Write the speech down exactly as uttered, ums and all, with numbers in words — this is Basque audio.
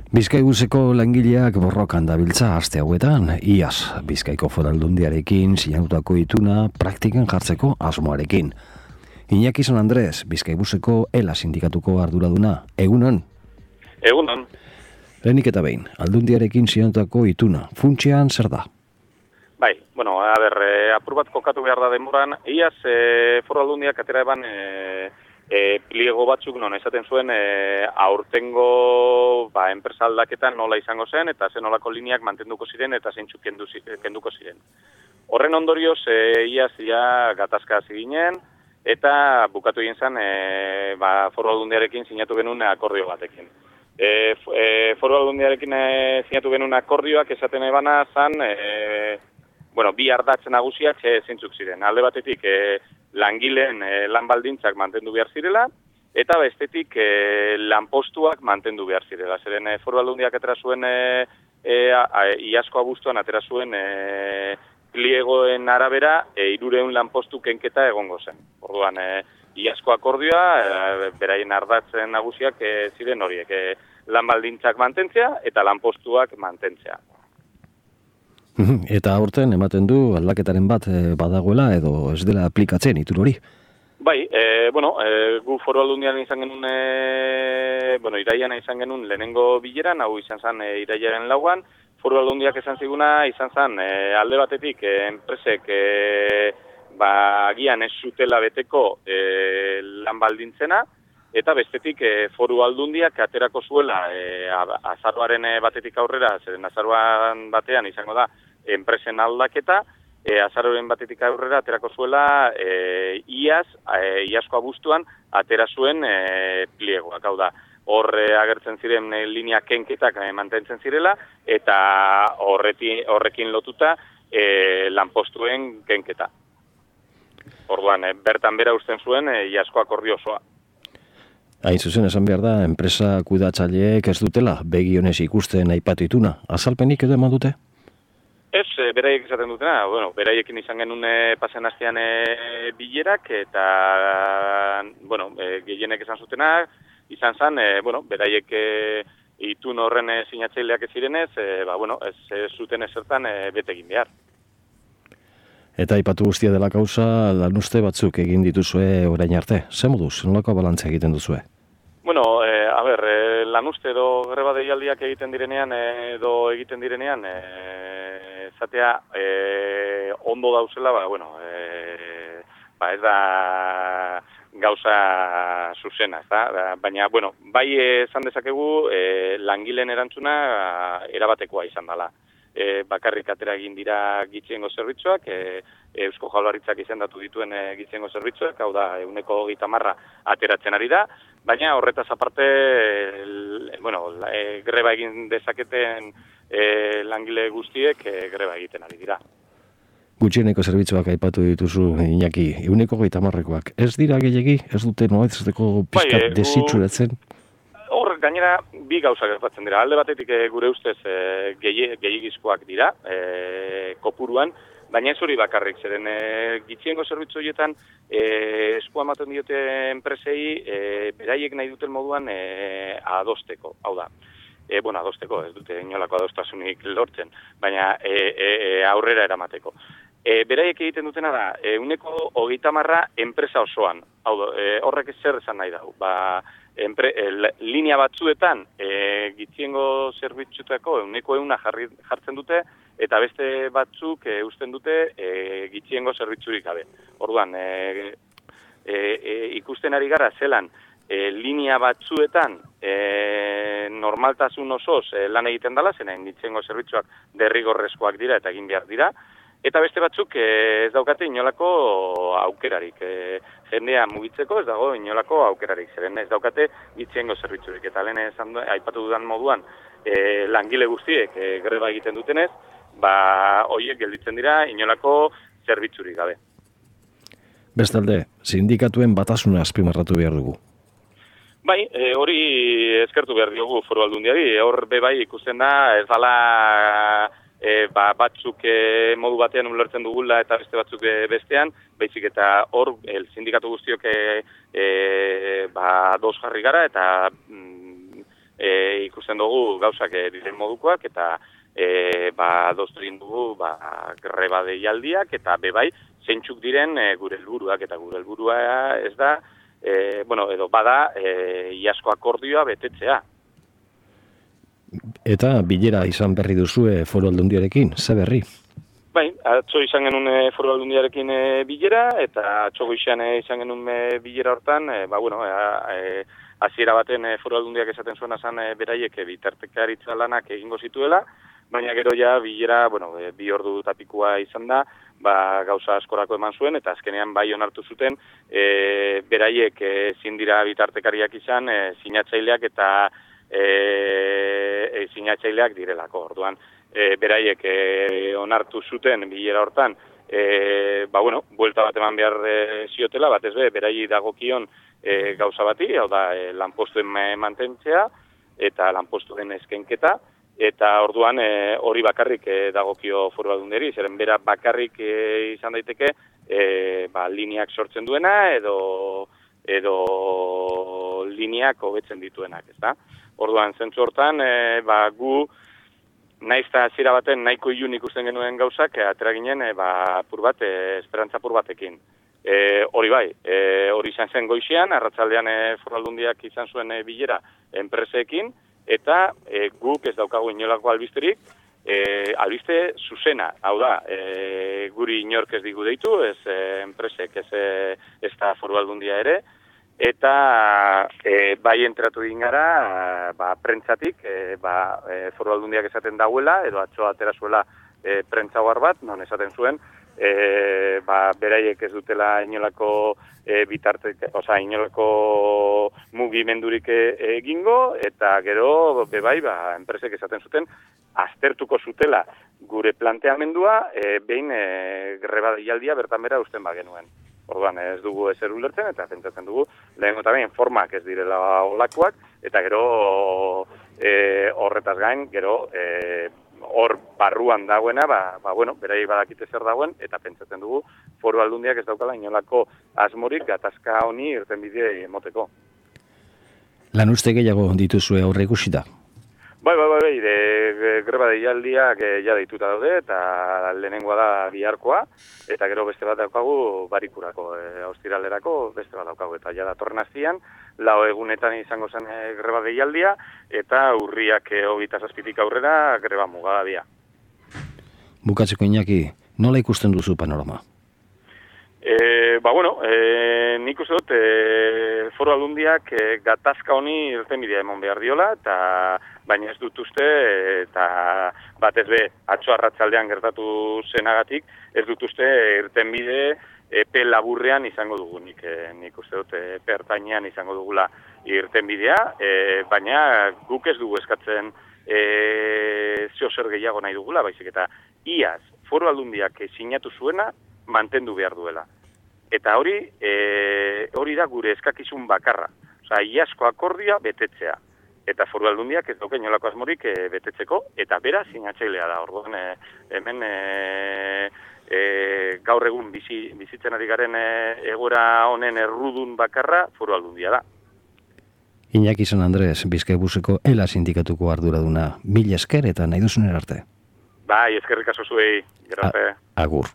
Bizkaibuseko langileak borrokan dabiltza aste hauetan, iaz Bizkaiko Foraldundiarekin sinatutako ituna praktikan jartzeko asmoarekin. Iñaki San Andres, Bizkaibuseko ELA sindikatuko arduraduna, egunon? Egunon. Lehenik eta behin, Aldundiarekin sinatutako ituna, funtsean zer da? Bai, bueno, a ber, eh, apur bat kokatu behar da denboran, iaz eh, Foru Aldundiak atera eban eh, E, pliego batzuk non esaten zuen e, aurtengo ba, enpresa aldaketan nola izango zen eta zen nolako lineak mantenduko ziren eta zeintzuk kendu, kenduko ziren. Horren ondorioz, e, iaz ia gatazka hasi ginen eta bukatu egin zen e, ba, Foru Aldundiarekin sinatu genuen akordio batekin. E, e, Foru Aldundiarekin e, sinatu genuen akordioak esaten ebana zen e, bueno, bi ardatz nagusiak e, zeintzuk ziren. Alde batetik e, langileen e, lan baldintzak mantendu behar zirela, eta bestetik e, lanpostuak mantendu behar zirela. Zeren e, Foru Aldundiak atera zuen, e, e, a, iazko abuztuan atera zuen e, pliegoen arabera, e, irureun lanpostu kenketa egongo zen. Orduan, e, iazko akordioa, e, beraien ardatzen nagusiak e, ziren horiek, e, lan baldintzak mantentzea eta lanpostuak mantentzea. Eta aurten ematen du aldaketaren bat badagoela edo ez dela aplikatzen itur hori? Bai, e, bueno, e, gu Foru Aldundian izan genuen, e, bueno, iraian izan genuen lehenengo bileran, hau izan zen e, iraiaren lauan, Foru Aldundiak esan ziguna, izan zen e, alde batetik e, enpresek e, ba, agian ez zutela beteko e, lan baldintzena, eta bestetik e, Foru Aldundiak aterako zuela e, azaroaren batetik aurrera, zeren azaroan batean izango da, enpresen aldaketa, e, azaroren batetik aurrera aterako zuela e, iaz, e, iazko abuztuan atera zuen e, pliegoak, hau da, hor e, agertzen ziren e, linea kenketak e, mantentzen zirela, eta horreti, horrekin lotuta e, lanpostuen kenketa. Orduan, e, bertan bera usten zuen e, iazko akordio osoa. Hain zuzen esan behar da, enpresa kudeatzaileek ez dutela begionez ikusten aipatu ituna. Azalpenik edo eman dute? Ez, beraiek esaten dutena, bueno, beraiekin izan genuen e, pasen astean e, bilerak, eta, bueno, e, gehienek esan zutena, izan zen, e, bueno, beraiek e, itun horren e, sinatzaileak ez zirenez, e, ba, bueno, ez, ez zuten ezertan e, bete egin behar. Eta aipatu guztia dela kausa, lanuzte batzuk egin dituzue orain arte. Ze moduz, nolako balantzea egiten duzue? Bueno, e, a ber, e, lanuzte edo greba deialdiak egiten direnean, e, edo egiten direnean, e, zatea e, ondo dauzela, ba, bueno, e, ba, ez da gauza zuzena, ez da? Baina, bueno, bai esan dezakegu e, langileen erantzuna erabatekoa izan dela. E, bakarrik atera egin dira gitxiengo zerbitzuak, e, Eusko Jaurlaritzak izendatu dituen e, gitxiengo zerbitzuak, hau da, ehuneko hogeita hamar ateratzen ari da, baina horretaz aparte, e, bueno, e, greba egin dezaketen e, langile guztiek e, greba egiten ari dira. Gutxieneko zerbitzuak aipatu dituzu, Iñaki, ehuneko hogeita hamarrekoak. Ez dira gehiegi? Ez dute noaitzeteko pizkat bai, desitzuratzen? Hor, gainera, bi gauza gertatzen dira. Alde batetik e, gure ustez e, gehiagizkoak dira, e, kopuruan, baina ez hori bakarrik, zeren e, gitxiengo zerbitzu horietan e, eskua ematen diote enpresei e, beraiek nahi duten moduan e, adosteko, hau da. E, bueno, adosteko, ez dute inolako adostasunik lortzen, baina e, e, aurrera eramateko. E, beraiek egiten dutena da, ehuneko hogeita hamarra enpresa osoan, hau da, e, horrek zer esan nahi dau, ba, Empre, e, linea batzuetan e, gitxiengo zerbitzutako ehuneko ehuna jartzen dute eta beste batzuk e, usten dute e, gitxiengo zerbitzurik gabe. Orduan, e, e, e, ikusten ari gara zelan e, linea batzuetan e, normaltasun osoz e, lan egiten dela, zenen gitxiengo zerbitzuak derrigorrezkoak dira eta egin behar dira, eta beste batzuk e, ez daukate inolako aukerarik. E, jendea mugitzeko ez dago inolako aukerarik. Zeren ez daukate gitxiengo zerbitzurik. Eta lehen esan aipatu dudan moduan e, langile guztiek e, greba egiten dutenez, ba horiek gelditzen dira inolako zerbitzurik gabe. Bestalde, sindikatuen batasuna azpimarratu behar dugu. Bai, e, hori eskertu behar diogu Foru Aldundiari. Hor be bai ikusten da ez dala E, ba, batzuk e, modu batean ulertzen dugula eta beste batzuk e, bestean, baizik eta hor el sindikatu guztiok e, e, ba, dos jarri gara eta mm, e, ikusten dugu gauzak e, diren modukoak, eta e, ba, doztu egin dugu ba, greba deialdiak, eta bebai, zeintzuk diren e, gure helburuak, eta gure helburua ez da, e, bueno, edo bada, e, iazko akordioa betetzea. Eta bilera izan berri duzue Foru Aldundiarekin, ze berri? Bai, atzo izan genuen e, Foru Aldundiarekin e, bilera, eta atzo goizean e, izan genuen e, bilera hortan, e, ba, bueno, e, hasiera baten e, Foru Aldundiak esaten zuena zan e, beraiek e, bitartekaritza lanak egingo zituela, baina gero ja bilera, bueno, e, bi ordu tapikua izan da, ba, gauza askorako eman zuen, eta azkenean bai onartu zuten, e, beraiek ezin dira bitartekariak izan, e, sinatzaileak eta e, e, sinatzaileak direlako, orduan. E, beraiek e, onartu zuten bilera hortan, e, ba bueno, buelta bat eman behar e, ziotela, batez be, beraiei dagokion e, gauza bati, hau da, e, lanpostuen mantentzea, eta lanpostuen eskenketa, eta orduan e, hori bakarrik e, dagokio Foru Aldundiari, zeren bera bakarrik e, izan daiteke, e, ba, lineak sortzen duena, edo, edo lineak hobetzen dituenak, ezta? Orduan, zentzu hortan, e, ba, gu, naiz eta hasiera baten nahiko ilun ikusten genuen gauzak, e, atera ginen, e, ba, pur bat, e, esperantza pur batekin. E, hori bai, e, hori izan zen goizean, arratsaldean e, Foru Aldundiak izan zuen e, bilera enpresekin, eta e, guk ez daukagu inolako albisterik, e, albiste zuzena, hau da, e, guri inork ez digu deitu, ez e, enpresek, ez, e, ez da Foru Aldundia ere, eta e, bai enteratu egin gara, ba, prentzatik, e, ba, e, Foru Aldundiak esaten dauela, edo atzo atera zuela e, prentzagoar bat, non esaten zuen, e, ba, beraiek ez dutela inolako e, bitartek, oza, inolako mugimendurik egingo, eta gero, bebai, ba, enpresek esaten zuten, aztertuko zutela gure planteamendua, e, behin e, greba deialdia bertan bera usten bagenuen. Orduan ez dugu ezer ulertzen, eta pentsatzen dugu, lehen eta behin formak ez direla olakoak, eta gero e, horretaz gain, gero e, hor barruan dagoena, ba, ba bueno, beraiek badakite zer dagoen, eta pentsatzen dugu Foru Aldundiak ez daukala inolako asmorik gatazka honi irtenbide emoteko. Lan uste gehiago dituzue aurre ikusita? Bai, bai, bai, bai, de, de, greba deialdiak e, ja deituta daude, eta lehenengoa da biharkoa, eta gero beste bat daukagu barikurako, e, austiralerako beste bat daukagu, eta ja datorren astian, lau egunetan izango zen e, greba deialdia, eta urriak e, hogeita zazpitik aurrera greba mugabia. Bukatzeko Iñaki, nola ikusten duzu panorama? E, ba, bueno, e, nik uste dut, e, Foru Aldundiak e, gatazka honi irtenbidea emon behar diola, eta baina ez dut uste, eta batez be, atzo arratsaldean gertatu zenagatik, ez dut uste irtenbide epe laburrean izango dugu, nik, e, nik uste dut epe ertainean izango dugula irtenbidea, e, baina guk ez dugu eskatzen e, zeo zer gehiago nahi dugula, baizik eta iaz, Foru Aldundiak sinatu zuena, mantendu behar duela. Eta hori, e, hori da gure eskakizun bakarra. Osa, iazko akordioa betetzea. Eta Foru Aldundiak ez dauka inolako asmorik e, betetzeko, eta bera sinatzailea da. Orduan, e, hemen e, e, gaur egun bizi, bizitzen ari garen e, egoera honen errudun bakarra Foru Aldundia da. Iñaki San Andres, Bizkaibuseko Ela sindikatuko arduraduna, mila esker eta nahi duzunen arte. Bai, eskerrik asko zuei, gero arte. Agur.